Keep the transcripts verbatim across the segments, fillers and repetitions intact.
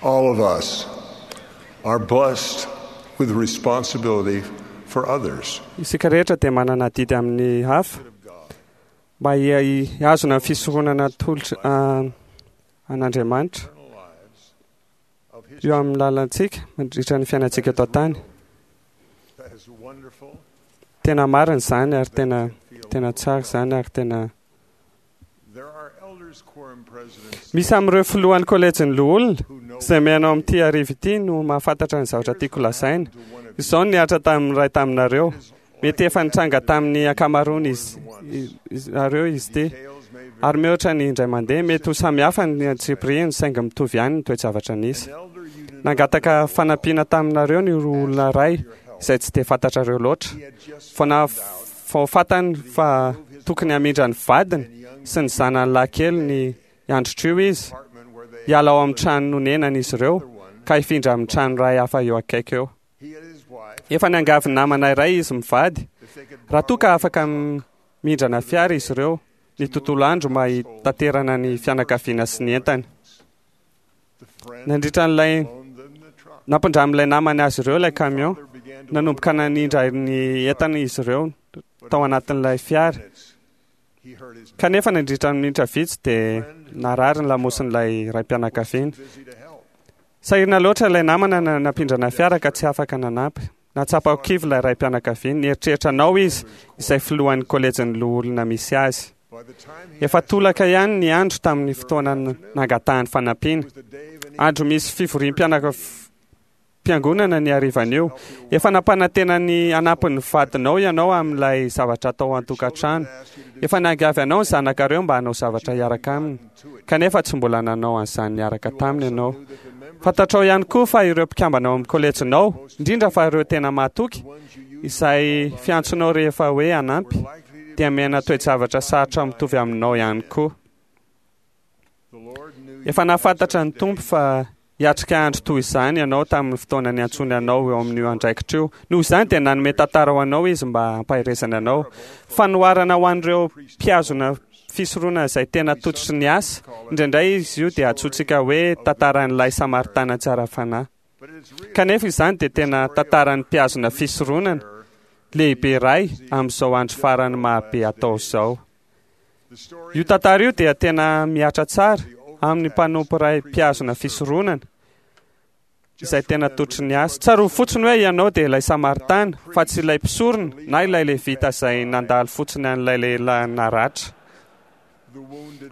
All of us are blessed with responsibility for others. Isika rehetra dia manana adidy amin'ny hafa mba hihazona ny fisoronana atolotra an'Andriamanitra eo amin'ny lalantsika mandritra ny fiainantsika eto an-tany. Tena marina izany ary tena tena tsara izany ary tena misy amin'ireo filohan'ny kolejin'ny loholona izay mihaino amin'ity hariva ity no mahafantatra ny zavatra tiako lazaina. Izao no nihatra tamin'ny iray taminareo. Mety efa nitranga tamin'ny ankamaroany izy nareo izy ity. Ary mihoatra ny indray mandeha, mety ho samy hafa ny antsipiriany saingy mitovy ihany ny toe-javatra nisy. Nangataka fanampiana taminareo ny olona iray izay tsy dia fantatrareo loatra. Vao na vao fantany fa tokony hamindra ny vadiny sy ny zanany lahy kely ny androtr'io izy, hiala ao amin'ny trano nonenany izy ireo ka hifindra amin'ny trano iray hafa eo akaiky eo. Efa niangavy namana iray izy mivady raha toa ka afaka mindrana fiara izy ireo ny tontolo andro mba hitaterana ny fianakaviana sy ny entany. Nandritra an'ilay nampindramin'ilay namany azy ireo ilay camion, nanomboka nanindra ny entana izy ireo tao anatin'ilay fiara. Kanefa nandritra ny minitra vitsy dia narary ny lamosin'ilay raim-pianakaviana. Sahirana loatra ilay namana nampindrana fiara ka tsy afaka nanampy. Nahatsapa ho kivy ilay raim-pianakaviana. Nieritreritra anao izy, izay filohan'ny kolejin'ny loholona misy azy. Efa tolaka ihany ny andro tamin'ny fotoana nangatahany fanampiana. Andro misy fivoriam-piangonana ny harivan'io. Efa nampanantena ny hanampy ny vadinao ianao amin'ilay zavatra atao an-tokantrano. Efa niangavy anao ny zanakareo mba hanao zavatra hiaraka aminy, kanefa tsy mbola nanao an'izany niaraka taminy ianao. Fantatrao ihany koa fa ireo mpikambana ao amin'ny kolejinao, indrindra fa ireo tena mahatoky, izay fiantsonao rehefa hoe hanampy, dia miaina toe-javatra sarotra mitovy aminao ihany koa. Efa nahafantatra ny Tompo fa hiatrika andro toy izany ianao tamin'ny fotoana niantsoany anao eo amin'io andraikitra io. Noho izany dia nanome tantara ho anao Izy mba hampaherezany anao. Fanoharana ho an'ireo mpihazona fisoronana izay tena tototry ny asa. Indraindray izy io dia antsointsika hoe tantaran'ilay Samaritana tsara fanahy. Kanefa izany dia tena tantaran'ny mpihazona fisoronana lehibe iray amin'izao andro farany mahabe atao izao. Io tantara io dia tena mihatra tsara amin'ny mpanompo iray mpihazona fisoronana izay tena tototry ny asa. Tsarovy fotsiny hoe ianao dia ilay Samaritana fa tsy ilay mpisorona na ilay Levita izay nandalo fotsiny an'ilay lehilahy naratra.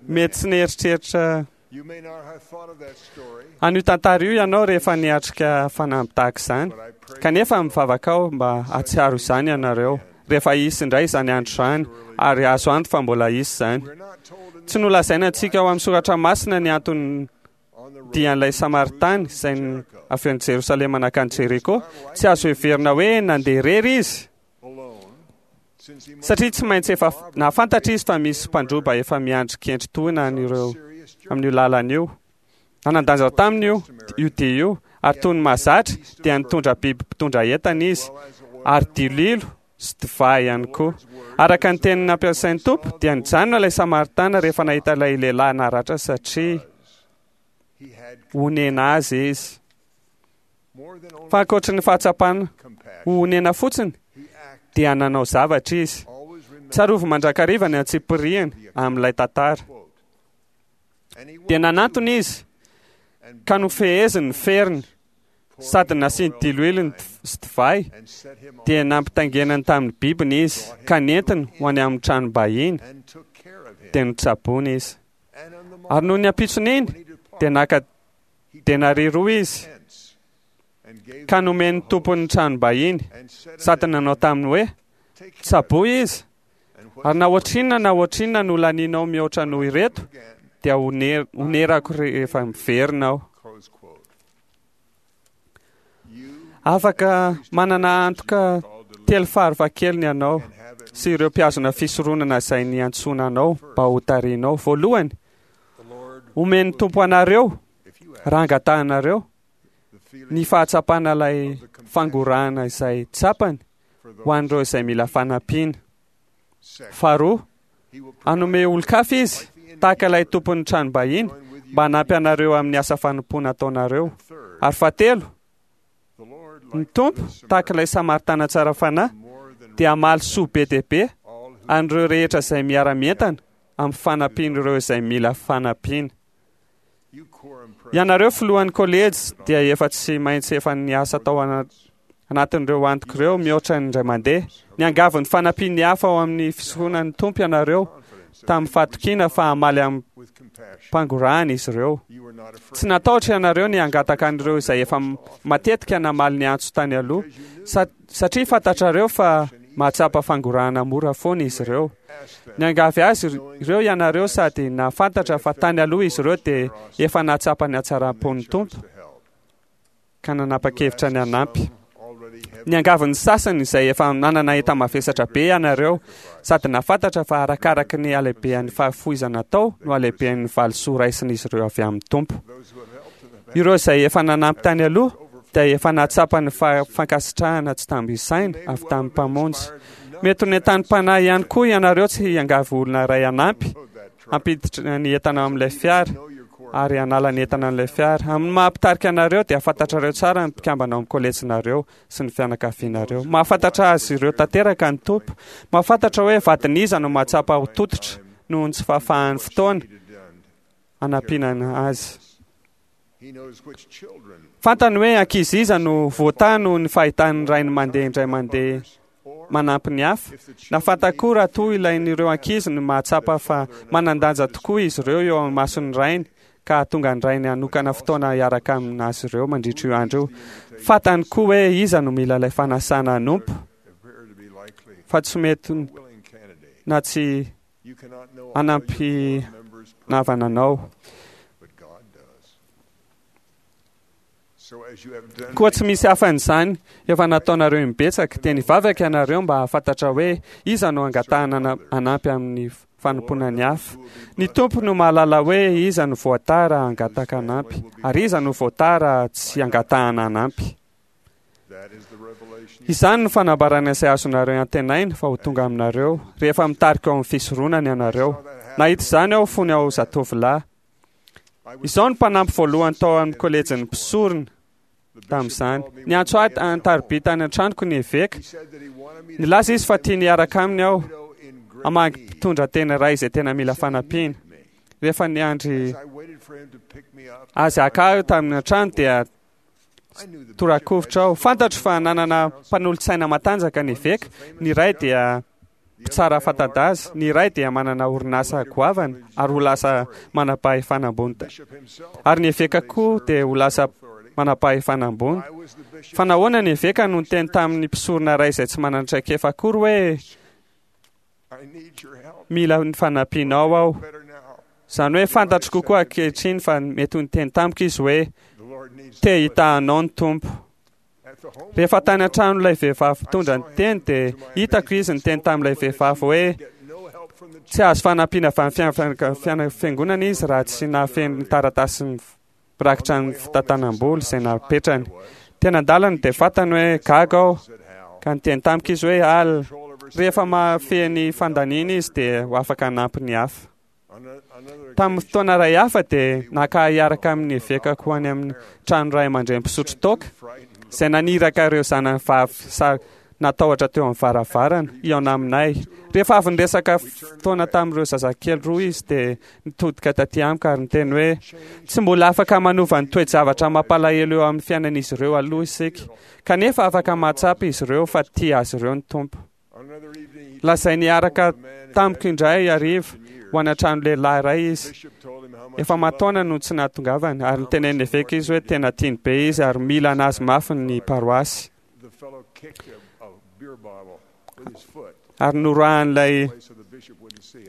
Mety tsy nieritreritra an'io tantara io ianao rehefa niatrika fanamby tahaka izany, kanefa mivavaka aho mba hahatsiaro izany ianareo rehefa hisy indray izany andro izany, ary azo antoka fa mbola hisy izany. Tsy nolazaina antsika ao amin'ny soratra masina ny antony dian'ilay Samaritana izay avy any Jerosalema nankany Jeriko. Tsy azo heverina hoe nandeha irery izy, satria tsy maintsy efa nahafantatra izy fa misy mpandroba efa miandry kendry tohina an'ireo amin'io lalana io. Nanan-danja taminy io io dia io, ary toy ny mahazatra dia nitondra biby mpitondra entana izy, ary diloilo sy divay ihany koa. Araka ny teny nampiasain'ny Tompo dia nijanona ilay Samaritana rehefa nahita ilay lehilahy naratra satria honena azy izy. Fa ankoatry ny fahatsapana ho honena fotsiny dia nanao zavatra izy. Tsarovy mandrakariva ny antsipiriany amin'ilay tantara. Dia nanantona izy ka nofeheziny ny feriny sady nasiany diloilo sy divay, dia nampitaingenany tamin'ny bibiny izy ka nentiny ho any amin'ny tranom-bahiny, dia notsaboiny izy. Ary noho ny ampitson'iny dia naka denaria roa izy ka nomen'ny tompon'ny tranom-bahiny sady nanao taminy hoe: tsaboy izy, ary na ohatrinona na ohatrinona no laninao mihoatra noho ireto dia honerako rehefa miverina aho. Afaka manana antoka telo farafahakeliny ianao sy ireo mpihazona fisoronana izay niantsoana anao mba ho tarihinao. Voalohany, omen'ny Tompo anareo raha angatahanareo ny fahatsapana ilay fangorahana izay tsapany ho an'ireo izay mila fanampiana. Faharoa, hanome olon-kafa izy tahaka ilay tompon'ny tranom-bahiny mba hanampy anareo amin'ny asa fanompoana ataonareo. Ary fahatelo, ny Tompo, tahaka ilay Samaritana tsara fanahy, dia hamaly soa be dia be an'ireo rehetra izay miara-mientana amin'ny fanampian'ireo izay mila fanampiana. Ianareo filohan'ny kolejy dia efa tsy maintsy efa niasa tao anatin'ireo antoko ireo mihoatra ny indray mandeha. Niangavy ny fanampian'ny hafa ao amin'ny fisoronan'ny Tompo ianareo tamin'ny fahatokiana fa hamaly amim-pangorahana izy ireo. Tsy natahotra ianareo ny hangataka an'ireo izay efa matetika namaly ny antso tany aloha, satria fantatrareo fa mahatsapa fangorahana mora foana izy ireo. Niangavy azy ireo ianareo sady nahafantatra fa tany aloha izy ireo dia efa nahatsapa ny hatsaram-pon'ny Tompo ka nanapa-kevitra ny hanampy. Niangavy ny sasany izay efa nanana enta-mavesatra be ianareo sady nahafantatra fa arakaraky ny halehibehan'ny fahafoizana atao no halehibehan'ny valisoa raisin'izy ireo avy amin'ny Tompo. Ireo izay efa nanampy tany aloha dia efa nahatsapa ny fankasitrahana tsy tambo isaina avy tamin'ny Mpamonjy. Mety ho nentanim-panahy ihany koa ianareo tsy hiangavy olona iray hanampy hampiditra ny entana amin'ilay fiara ary hanala ny entana amin'ilay fiara. Amin'ny maha mpitarika anareo dia fantatrareo tsara ny mpikambana ao amin'ny kolejinareo sy ny fianakavianareo. Mahafantatra azy ireo tanteraka ny Tompo. Mahafantatra hoe vadin'iza no mahatsapa ho tototra noho ny tsy fahafahan'ny fotoana hanampiana azy. Fantany hoe ankizy iza no voatahy noho ny fahitan'ny rainy mandeha indray mandeha manampy ny hafa. Na fantany koa raha toa ilain'ireo ankizy ny mahatsapa fa manan-danja tokoa izy ireo eo amin'ny mason'ny rainy ka hahatonga ny rainy hanokana fotoana hiaraka aminazy ireo mandritra io andro io. Fantany koa hoe iza no mila ilay fanasana hanompo fa tsy mety na tsy hanampy navana anao. Koa tsy misy hafan'izany efa nataonareo imbetsaka, dia nivavaka ianareo mba hahafantatra hoe iza no angatahana hanampy amin'ny fanompoana ny hafa. Ny Tompo no mahalala hoe iza no voatahy raha hangataka hanampy, ary iza no voatahy raha tsy angatahana hanampy. Izany no fanambarana izay azonareo antenaina fa ho tonga aminareo rehefa mitarika ao amin'ny fisoronana ianareo. Nahita izany aho fony aho zatovolahy. Izao no mpanampy voalohany tao amin'ny kolejin'ny mpisorona tamin'izany. Niantso ahy an-tariby tany an-tranoko ny eveka. Nilaza izy fa tiany hiaraka aminy aho hamangy mpitondra tena iray izay tena mila fanampiana. Rehefa niandry azy haka ahy tamin'ny an-trano dia torakovitra aho. Fantatro fa nanana mpanolotsaina matanjaka ny eveka. Ny iray dia mpitsara fanta-daza, ny iray dia manana orinasa goavana ary ho lasa manam-pahefana ambony. Ary ny eveka koa dia ho lasa manam-pahefana ambony. Fa nahoana ny eveka no niteny tamin'ny mpisorona iray izay tsy manana traikefa akory hoe mila ny fanampianao aho? Izany hoe fantatro kokoa ankehitriny fa mety ho niteny tamiko izy hoe te hitahanao ny Tompo. Rehefa tany an-trano ilay vehivavy mpitondra ny teny dia hitako izy niteny tamin'ilay vehivavy hoe tsy azo fanampiana avy amin'ny fiangonana izy raha tsy nahafeno ny taratasy mirakitra ny fitantanam-bola izay napetrany. Tena an-dalana dia fantany hoe gaga aho ka niteny tamiko izy hoe al, rehefa mahafehy ny fandaniana izy dia ho afaka hanampy ny hafa. Tamin'ny fotoana iray hafa dia naka hiaraka amin'ny evekako ho any amin'ny trano ray aman-dreny mpisotro toaka izay naniraka ireo zanany vavy sa natahotra teo amin'ny varavarana hihaona aminay. Rehefa avy niresaka fotoana tamin'ireo zazakely roa izy dia nitodika taty amiko ary niteny hoe tsy mbola afaka manova ny toe-javatra mampalahelo eo amin'ny fiainan'izy ireo aloha isika, kanefa afaka mahatsapa izy ireo fa tia azy ireo ny Tompo. Lazainy hiaraka tamiko indray hariva ho any an-trano lehilahy iray izy. Efa aman-taona no tsy nahatongavany ary nitenen'ny eveka izy hoe tena tiany be izy ary mila anazy mafy ny paroasy. Ary noroahan'ilay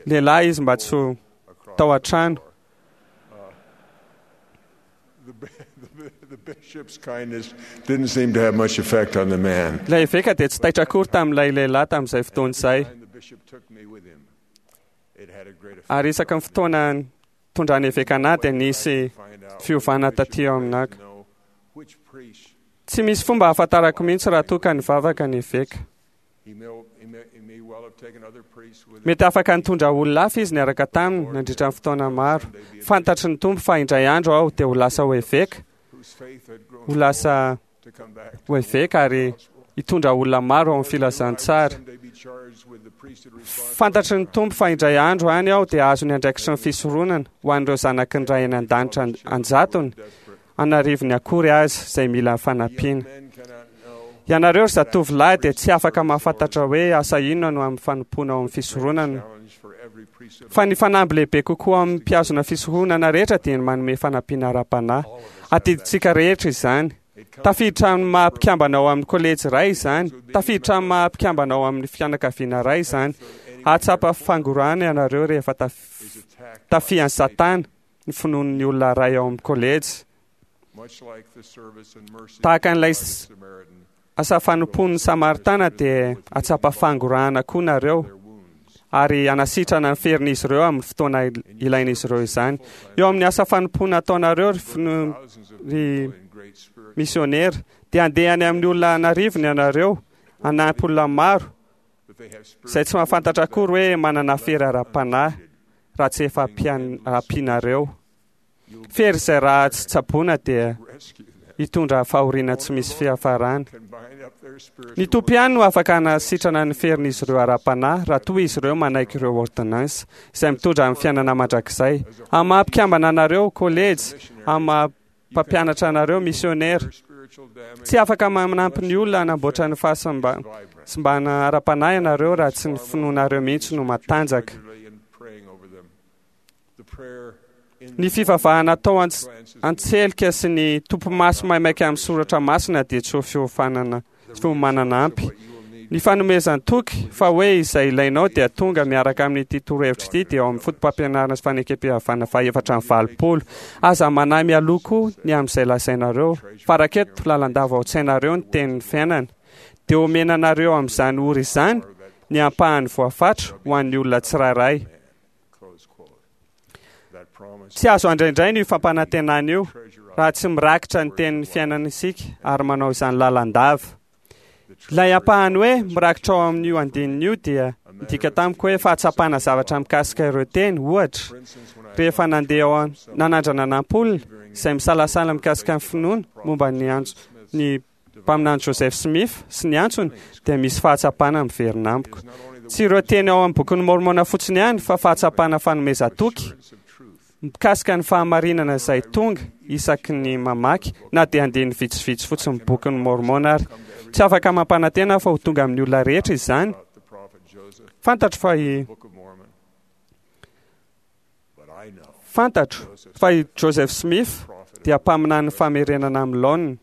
lehilahy izy mba tsy ho tao an-trano. Ilay eveka dia tsy taitra akory tamin'ilay lehilahy tamin'izay fotoana izay. Ary isaky ny fotoana nitondran'ny eveka anahy dia nisy fiovana taty aminako. Tsy misy fomba ahafantarako mihitsy raha toa ka nivavaka ny eveka. Mety afaka nitondra olona hafa izy niaraka taminy nandritra ny fotoana maro. Fantatry ny Tompo fa indray andro aho dia ho lasa ho eveka, ho lasa ho eveka ary hitondra olona maro ao amin'ny filazantsara. Fantatry ny Tompo fa indray andro any aho dia azo ny andraikitry ny fisoronana ho an'ireo zanaky ny Ray any an-danitra an-jatony, an'arivony akory azy izay mila fanampiana. Ianareo ry zatovolahy dia tsy afaka mahafantatra hoe asa inona no amin'ny fanompoana ao amin'ny fisoronana. Fa ny fanamby lehibe kokoa amin'ny mpihazona fisoronana rehetra dia ny manome fanampiana ara-panahy. Adidintsika rehetra izany. Tafiditra amin'ny maha mpikambana ao amin'ny kolejy iray izany. Tafiditra amin'ny maha mpikambana ao amin'ny fianakaviana iray izany. Hahatsapa fangorahana ianareo rehefa tafihan'i Satana ny finoan'ny olona iray ao amin'ny kolejy. Tahaka an'ilay asa fanompoan'ny Samaritana dia hahatsapa fangorahana koa nareo ary hanasitrana ny ferin'izy ireo amin'ny fotoana ilain'izy ireo izany. Eo amin'ny asa fanompoana ataonareo ry fino- ry misionera dia handeha any amin'ny olona an'arivony ianareo, hanampy olona maro izay tsy mahafantatra akory hoe manana fery ara-panahy raha tsy efa ampianareo. Fery izay raha tsy tsaboina dia hitondra fahoriana tsy misy fiafarana. Ny Tompo ihany no afaka hanasitrana ny ferin'izy ireo ara-panahy raha toa izy ireo manaiky ireo ordonnance izay mitondra amin'ny fiainana mandrakizay. Amin'ny maha mpikambana anareo kolejy, amin'ny maha mpampianatra anareo misionera, tsy afaka manampy ny olona hanamboatra ny fahasimbana ara-panahy ianareo raha tsy ny finoanareo mihitsy no matanjaka. Ny fivavahana atao an-tselika sy ny tompomaso maimaika amin'ny soratra masina dia tsy ho fiofanana fiomanana ampy. Ny fanomezan-toky fa hoe izay ilainao dia tonga miaraka amin'ity torohevitra ity dia ao amin'ny foto-pampianarana sy fanekempihavanana fahaefatra amby valopolo. Aza manahy mialoha koa ny amin'izay lazainareo. Faraketo lalandava ao an-tsainareo ny tenin'ny fiainana. Dia omena anareo amin'izany ora izany ny ampahany voafatra ho an'ny olona tsirairay. Tsy azo andraindraina io fampanantenana io raha tsy mirakitra ny tenin'ny fiainana isika ary manao izany lalandava. Ilay ampahany hoe mirakitra ao amin'io andininy io dia midika tamiko hoe fahatsapana zavatra mikasika ireo teny. Ohatra, rehefa nandeha ao nanandrana nanampy izay misalasala mikasika ny finoana momba ny antso ny mpaminany Joseph Smith sy ny antsony dia misy fahatsapana miverina amiko. Tsy ireo teny ao amin'ny bokin'ny Mormona fotsiny ihany fa fahatsapana fanomezan-toky mikasika ny fahamarinana izay tonga isaky ny mamaky na dia andininy vitsivitsy fotsiny bokin'ny Mormona ary. Tsy afaka mampanantena fa ho tonga amin'ny olona rehetra izany. Fantatro fa i Fantatro fa i Joseph Smith dia mpaminany famerenana amin'ny laoniny.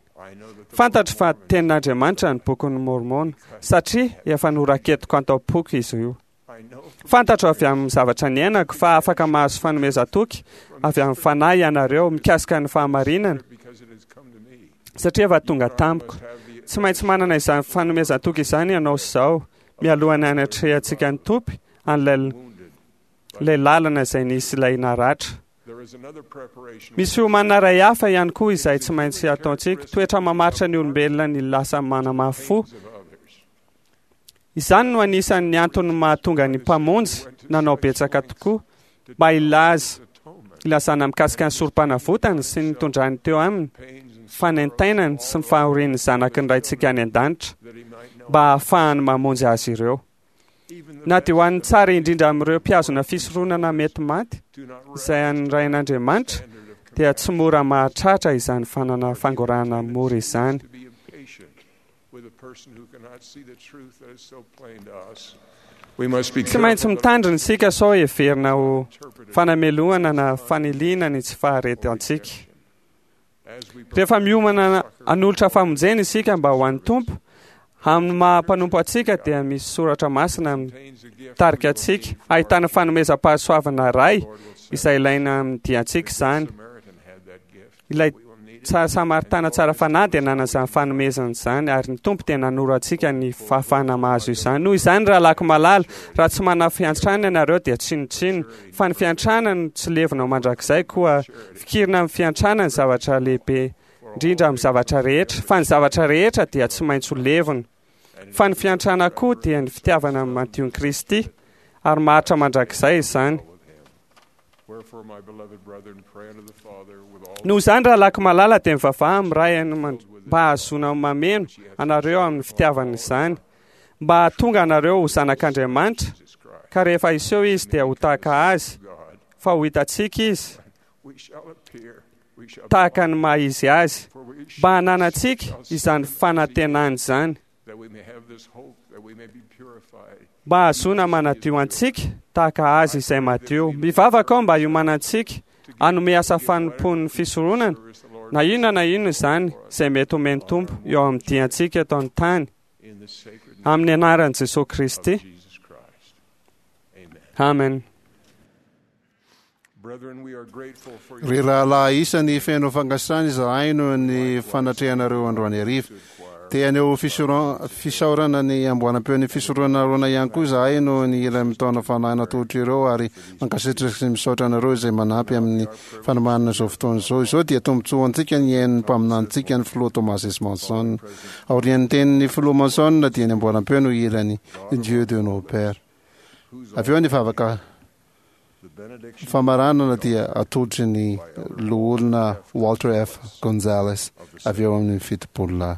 Fantatro fa tenin'Andriamanitra ny bokin'ny Mormona satria efa noraketiko an-taom-poko izy io. Fantatro avy amin'ny zavatra niainako fa afaka mahazo fanomezan-toky avy amin'ny fanahy ianareo mikasika ny fahamarinana satria efa tonga tamiko. Tsy maintsy manana izany fanomezan-toky izany ianao izao mialohan'ny hanatrehantsika ny Tompo an'ilay ilay lalana izay nisy ilay naratra. Misy fiomanana iray hafa ihany koa izay tsy maintsy ataontsika. Toetra mamaritra ny olombelona ny lasa manamafy fo. Izany no anisan'ny antony mahatonga ny mpamonjy nanao betsaka tokoa mba hilaza hilazana mikasika ny sorom-panavotany sy ny nitondrany teo aminy fanaintainany sy ny fahorian'ny zanaky ny Raintsika any an-danitra mba hahafahany mamonjy azy ireo. Na dia ho an'ny tsara indrindra amin'ireo mpihazona fisoronana mety maty izay an'ny Rain'Andriamanitra dia tsy mora mahatratra izany fanana fangorahana mora izany. Tsy maintsy mitandrina isika sao heverina ho fanamelohana na faniliana ny tsy faharetantsika. Rehefa miomana hanolotra famonjena isika mba ho an'ny Tompo, amin'ny maha mpanompo antsika dia misy soratra masina mitarika antsika ahitana fanomezam-pahasoavana iray izay ilaina amin'ny diantsika izany. Ilay Samaritana tsara fanahy dia nanana izany fanomezana izany ary ny Tompo dia nanoro antsika ny fahafahana mahazo izany. Noho izany, rahalahiko malala, raha tsy manana fiantrana ianareo dia tsinontsinona, fa ny fiantrana no tsy levona mandrakizay, koa fikirina amin'ny fiantrana ny zavatra lehibe indrindra amin'ny zavatra rehetra, fa ny zavatra rehetra dia tsy maintsy ho levona. Fa ny fiantrana koa dia ny fitiavana madion'i Kristy, ary maharitra mandrakizay izany. Wherefore, my beloved brethren, pray unto the Father with all Noho izany, rahalahiko malala, dia mivavaha amin'ny Ray any man- mba hahazoana mameno anareo amin'ny fitiavana izany, mba hahatonga anareo ho zanak'Andriamanitra, Jesus Christ. ka rehefa hiseho izy dia ho tahaka azy, God, fa ho hitantsika izy we shall appear, we shall tahaka ny maha izy azy, for we mba hananantsika izany fanantenana izany, that we may have this hope, that we may be purified. mba hahazoana manadio antsika tahaka azy izay madio. Mivavaka aho mba hiomanantsika hanome asa fanompoan'ny fisoronana, Service the Lord na inona na inona izany izay mety homen'ny Tompo eo amin'ny diantsika eto an-tany, in the sacred name amin'ny anaran'i Jesosy of Kristy. Jesus Christ. Amen. Amen. Brethren, we are grateful for Ry your rahalahy isany, feno fankasitrahana izahay noho ny fanatrehanareo androany hariva. Te haneho fisora- fisaorana ny amboaram-peon'ny fisoronana Arona ihany koa izahay noho ny hira mitaona fanahy natolotra ireo, ary mankasitraka sy misaotra anareo izay manampy amin'ny fanomanana izao fotoana izao. Izao dia tombontsoa antsika ny hain'ny mpaminanintsika, ny filoha Thomas S. Monson. Aorian'ny tenin'ny filoha Monson dia ny amboaram-peo no hirany "Dieu de nos pères". Avy eo ny vavaka the benediction famaranana dia atolotry ny loholona Walter F. Gonzales avy eo amin'ny Fitopololahy.